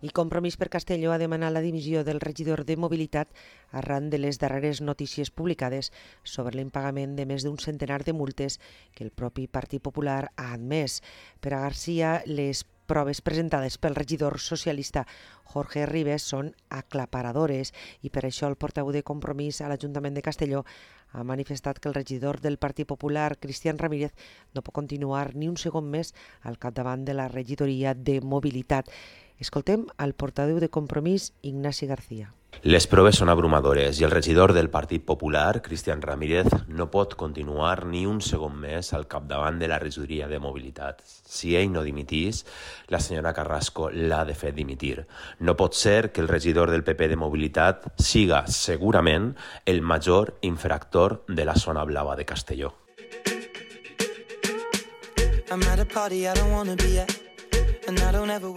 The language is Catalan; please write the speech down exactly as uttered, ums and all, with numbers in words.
I Compromís per Castelló ha demanat la dimissió del regidor de Mobilitat arran de les darreres notícies publicades sobre l'impagament de més d'un centenar de multes que el propi Partit Popular ha admès. Per a Garcia, les proves presentades pel regidor socialista Jorge Ribes són aclaparadores i per això el portaveu de Compromís a l'Ajuntament de Castelló ha manifestat que el regidor del Partit Popular, Cristian Ramírez, no pot continuar ni un segon més al capdavant de la regidoria de Mobilitat. Escoltem al portaveu de Compromís, Ignasi García. Les proves són abrumadores i el regidor del Partit Popular, Cristian Ramírez, no pot continuar ni un segon més al capdavant de la regidoria de Mobilitat. Si ell no dimitís, la senyora Carrasco l'ha de fer dimitir. No pot ser que el regidor del P P de Mobilitat siga segurament el major infractor de la zona blava de Castelló. I'm at a party I don't wanna be at, and I don't ever